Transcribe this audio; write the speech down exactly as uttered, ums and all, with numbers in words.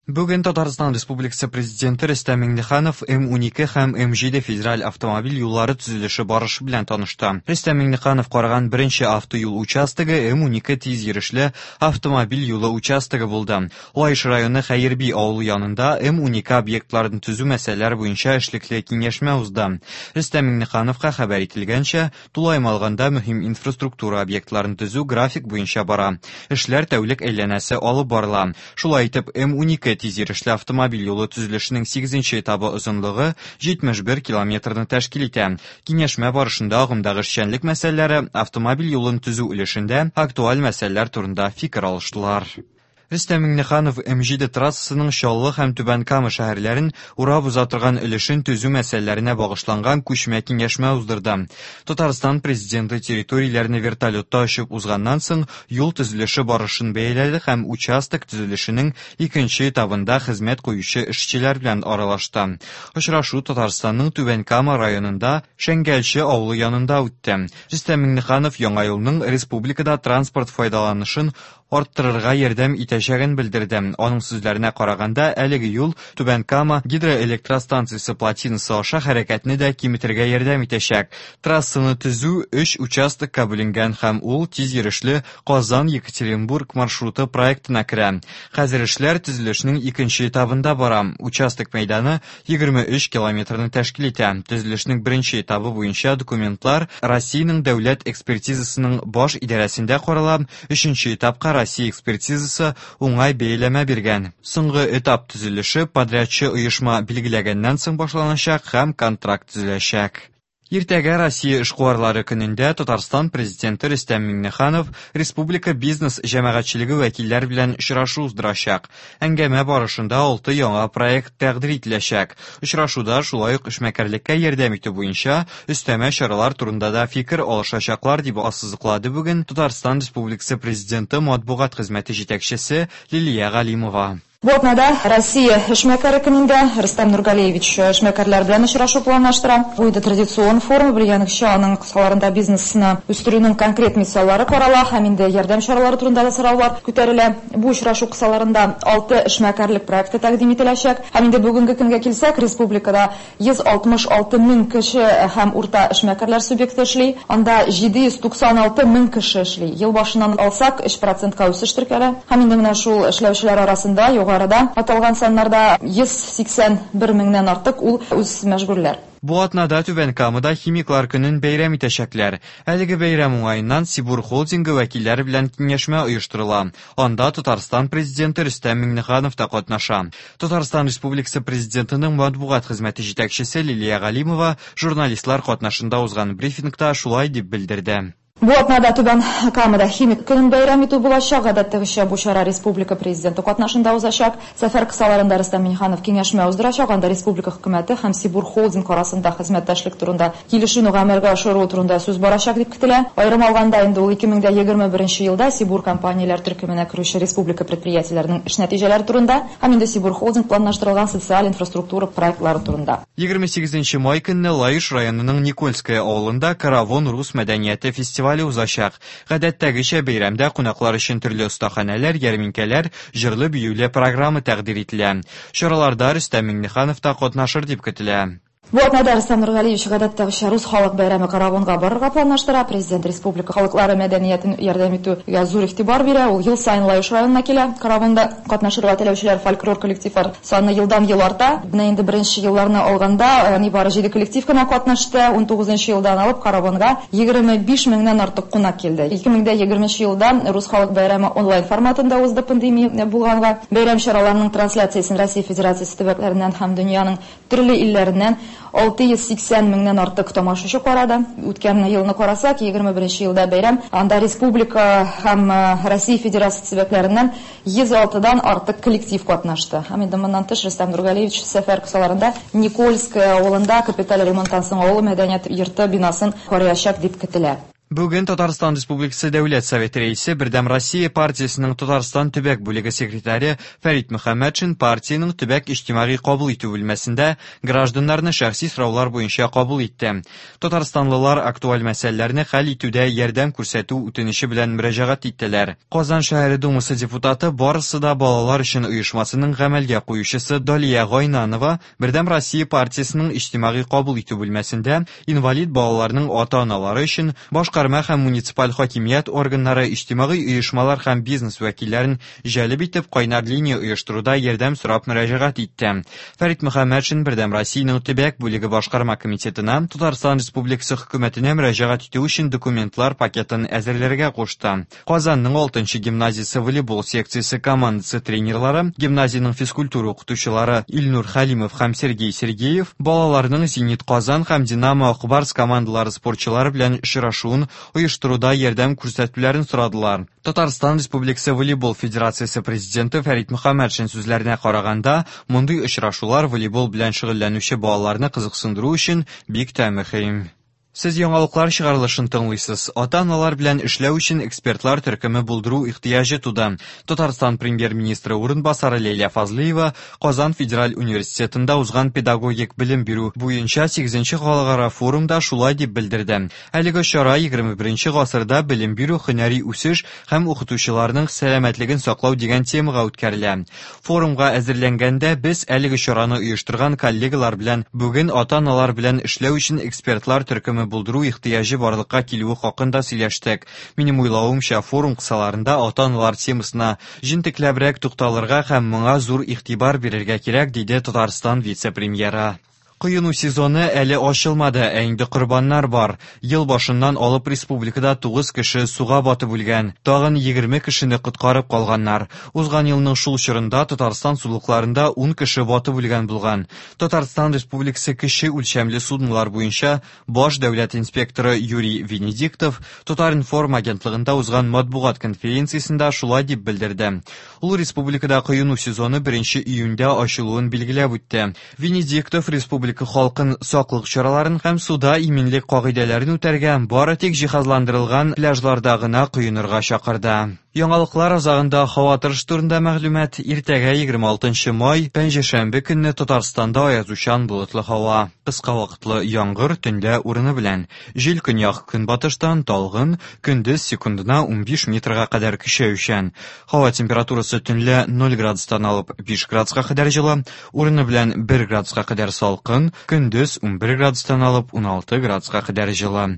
Бүген Татарстан Республикасы Президенты Рөстәм Миңнеханов М унике һәм М җиде федераль автомобиль юллары төзелеше барышы белән танышты. Рөстәм Миңнеханов караган беренче автоюл участогы М унике тиз йөрешле автомобиль юлы участогы булды. Лаеш районы Хәерби авылы янында М унике объектларын төзү мәсьәләләре буенча эшлекле киңәшмә узды. Рөстәм Миңнехановка хәбәр ителгәнчә, тулаем алганда мөһим инфраструктура объектларын төзү график буенча бара. Эшләр тәүлек әйләнәсе алып барыла. Шулай итеп, М унике тиз йөрешле автомобиль юлы төзелешенең сигезенче этабы озынлыгы җитмеш бер километрны тәшкил итә. Киңәшмә барышында агымдагы эшчәнлек мәсьәләләре, автомобиль юлын төзү өлешендә актуаль мәсьәләләр турында фикер алыштылар. Рөстәм Миңнеханов М җиде трассасының Чаллы һәм Түбән Кама шәһәрләрен урап уза торган өлешен төзү мәсьәләләренә багышланган күчмә киңәшмә уздырды. Татарстан президенты территорияләрне вертолетта очып узганнан соң юл төзелеше барышын бәяләде һәм участок төзелешенең икенче этабында хезмәт куючы эшчеләр белән аралашты. Очрашу Татарстанның Түбән Кама районында Шәңгәлче авылы янында үтте. Рөстәм Миңнеханов яңа юлның республикада транспорт файдаланышын арттырырга ярдәм итәчәген белдерде. Аның сүзләренә караганда, әлеге юл Түбән Кама гидроэлектростанциясе плотинасы аша хәрәкәтне дә киметергә ярдәм итәчәк. Трассаны төзү өч участокка бүленгән һәм ул тиз йөрешле Казан-Екатеринбург маршруты проектына керә. Хәзер эшләр төзелешнең икенче этабында бара. Участок мәйданы егерме өч километрны тәшкил итә. Төзелешнең беренче этабы буенча документлар Россиянең дәүләт экспертизасының баш идарәсендә карала. Өченче этапка Россия экспертизасы уңай бәяләмә биргән. Соңгы этап төзелеше подрядчы оешма билгеләгәннән соң башланачак һәм контракт төзеләчәк. Иртәгә Россия эшкуарлары көнендә Татарстан президенты Рөстәм Миңнеханов республика бизнес җәмәгатьчелеге вәкилләре белән очрашу уздырачак. Әңгәмә барышында алты яңа проект тәкъдир ителәчәк. Очрашуда шулай ук эшмәкәрлеккә ярдәм итү буенча өстәмә чаралар турында да фикер алышачаклар, дип ассызыклады бүген Татарстан Республикасы президенты матбугат хезмәте җитәкчесе Лилия Галимова. Бу атнада Россия эшмәкәре көнендә Рөстәм Нургалиевич эшмәкәрләр белән очрашу планлаштыра. Бу инде традицион форум, белгәнегезчә, аның кысаларында бизнесны үстерүнең конкрет мисаллары карала һәм инде ярдәм чаралары турында да сораулар күтәрелә. Бу очрашу кысаларында алты эшмәкәрлек проекты тәкъдим ителәчәк. Һәм инде бүгенге көнгә килсәк, республикада йөз алтмыш алты мең кеше һәм урта эшмәкәрләр субъекты эшли. Анда җиде йөз туксан алты мең кеше эшли. Ел башыннан алсак, өч процентка үсеш теркәлә. Һәм инде менә шул эшләүчеләр арасында югарыда аталган саннарда йөз сиксән бер меңнән артык ул үз мәшгульләр. Бу атнада Түбән Камада химиклар көнен бәйрәм итәчәкләр. Әлеге бәйрәм уңаеннан Сибур холдингы вәкилләре белән киңәшмә оештырыла. Анда Татарстан президенты Рөстәм Миңнеханов та катнаша. Татарстан Республикасы президентының матбугат хезмәте җитәкчесе Лилия Галимова журналистлар катнашында узган брифингта шулай дип белдерде. Бу атнада Түбән Камада химик көнен бәйрәм итү булачак. Гадәттәгечә бу чара республика президенты катнашында узачак. Сәфәр кысаларында Рөстәм Миңнеханов киңәшмә уздырачак. Анда республика хөкүмәте һәм Сибур холдинг арасында хезмәттәшлек турында килешүне гамәлгә ашыру турында сүз барачак дип көтелә. Аерым алганда инде ул ике мең дә егерме беренче елда Сибур компанияләр төркеменә керүче республика предприятиеләренең эш нәтиҗәләре турында һәм инде Сибур холдинг планлаштырылган социаль инфраструктура проектлары турында. Егерме сигезенче май көнне Лаеш районының Никольское авылында Каравон рус мәдәнияте фестивале узачак. Гадәттәгечә бәйрәмдә кунаклар өчен төрле остаханәләр, ярминкәләр, җырлы-биюле программа тәкъдир ителә. Чараларда Рөстәм Миңнеханов та катнашыр дип көтелә. Бу атнада Рөстәм Нургалиевич гадәттәгечә рус халык бәйрәме Каравонга барырга планлаштыра. Президент республика халыклары мәдәниятен ярдәм итүгә зур игътибар бирә. Ул ел саен Лаеш районына килә. Каравонда катнашырга теләүчеләр фольклор коллективлар саны елдан-ел арта. Менә инде беренче елларны алганда нибары җиде коллектив кына катнашты. Унтугызынчы елдан алып Каравонга егерме биш меңнән артык кунак килде. Ике мең дә егерменче елда рус халык бәйрәме онлайн форматында узды пандемия булганга. Бәйрәм чараларының трансляциясен Россия Федерациясе төбәкләреннән һәм дөньяның төрле илләреннән алты йөз сиксән меңнән артык тамашачы карады. Үткән елны карасак, егерме беренче елда бәйрәм анда республика һәм Россия Федерациясе төбәкләреннән йөз алтыдан артык коллектив катнашты. Һәм инде моннан тыш Рөстәм Нургалиевич сәфәр кысаларында Никольское авылында капиталь ремонттан соң авыл мәдәният йорты бинасын караячак дип көтелә. Бүген Татарстан Республикасы Дәүләт Советы рәисе, Бердәм Россия партиясенең Татарстан төбәк бүлеге секретаре Фәрит Мөхәммәтшин партиянең төбәк иҗтимагый кабул итү бүлмәсендә гражданнарны шәхси сораулар буенча кабул итте. Татарстанлылар актуаль мәсьәләләрне хәл итүдә ярдәм күрсәтү үтенече белән мөрәҗәгать иттеләр. Казан шәһәре Думасы депутаты, Барысы да балалар өчен оешмасының гамәлгә куючысы Далия Гайнанова Бердәм Россия партиясенең иҗтимагый кабул итү бүлмәсендә инвалид балаларның ата-аналары өчен башка Башкарма һәм муниципаль хакимият органнары, иҗтимагый оешмалар һәм бизнес вәкилләрен җәлеп итеп кайнар линия оештыруда ярдәм сорап мөрәҗәгать итте. Фәрит Мөхәммәтшин Бердәм Россиянең төбәк бүлеге башкарма комитетына Татарстан Республикасы хөкүмәтенә мөрәҗәгать итү өчен документлар пакетын әзерләргә кушты. Казанның алтынчы гимназиясе волейбол секциясе командасы тренерлары, гимназиянең физкультура укытучылары Илнур Хәлимов һәм Сергей Сергеев балаларның Зенит Казан һәм Динамо Акбарс командалары спортчылары белән очрашуын оештыруда ярдәм күрсәтүләрен сорадылар. Татарстан Республикасы Волейбол Федерациясе президенты Фәрит Мөхәммәтшин сүзләренә караганда, мондый очрашулар волейбол белән шөгыльләнүче балаларны кызыксындыру өчен бик тә мөһим. Сез яңалыклар чыгарылышын тыңлыйсыз. Ата-аналар белән эшләү өчен экспертлар төркеме булдыру ихтыяҗы туды. Татарстан премьер-министры урынбасары Ләйлә Фазлыева Казан федераль университетында узган педагогик белем бирү буенча сигезенче халыкара форумда шулай дип белдерде. Әлеге чара егерме беренче гасырда белем бирү, һөнәри үсеш һәм укытучыларның сәламәтлеген саклау дигән темага үткәрелә. Форумга әзерләнгәндә без әлеге чараны оештырган коллегалар белән бүген ата-аналар белән эшләү өчен экспертлар төркеме булдыру ихтыяҗы барлыкка килүе хакында сөйләштек. Минем уйлавымча, форум кысаларында ата-аналар темасына җентекләбрәк тукталырга һәм моңа зур игътибар бирергә кирәк, диде Татарстан вице-премьеры. Коену сезоны әле ачылмады, ә инде корбаннар бар. Ел башыннан алып республикада тугыз кеше суга батып үлгән, тагын егерме кешене коткарып калганнар. Узган елның шул чорында Татарстан сулыкларында ун кеше батып үлгән булган. Татарстан Республикасы кеше үлчәмле суднолар буенча баш дәүләт инспекторы Юрий Венедиктов Татар-информ агентлыгында узган матбугат конференциясендә шулай дип белдерде. Ул республикада коену сезоны беренче июньдә ачылуын билгеләп үтте. Венедиктов республика халкын саклык чараларын һәм суда иминлек кагыйдәләрен үтәргә, бары тик җиһазландырылган пляжларда гына коенырга чакырды. Яңалыклар азагында һава торышы турында мәгълүмат. Иртәгә егерме алтынчы май, пәнҗешәмбе көнне Татарстанда аязучан болытлы һава. Кыска вакытлы яңгыр төнлә урыны белән. Җил көньяк көнбатыштан талгын, көндез секундына унбиш метрга кадәр көчәючән. Һава температурасы төнлә ноль градустан алып биш градуска кадәр җылы, урыны белән бер градуска кадәр салкын, көндез унбер градустан алып уналты градуска кадәр җылы.